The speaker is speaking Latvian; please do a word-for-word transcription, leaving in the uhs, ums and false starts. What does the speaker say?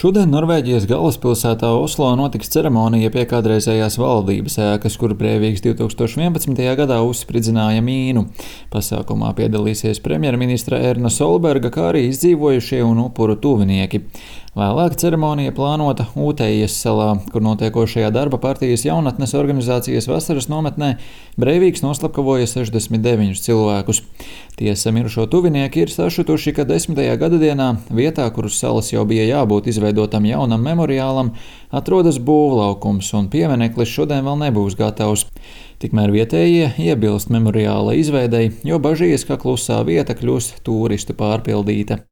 Šodien Norvēģijas galvaspilsētā Oslo notiks ceremonija pie kādreizējās valdības ēkas, kur Breiviks divtūkstoš vienpadsmitajā gadā uzspridzināja mīnu. Pasākumā piedalīsies premjerministra Erna Solberga, kā arī izdzīvojušie un upuru tuvinieki. Vēlāk ceremonija plānota Utējas salā, kur notiekošajā darba partijas jaunatnes organizācijas vasaras nometnē Breiviks noslapkavoja sešdesmit deviņus cilvēkus. Tiesa, mirušo tuvinieki ir sašutuši, ka desmitajā gadadienā vietā, kur uz salas jau bija jābūt izveidotam jaunam memoriālam, atrodas būvlaukums un piemineklis šodien vēl nebūs gatavs. Tikmēr vietējie iebilst memoriāla izveidei, jo bažījas, ka klusā vieta kļūs tūristu pārpildīta.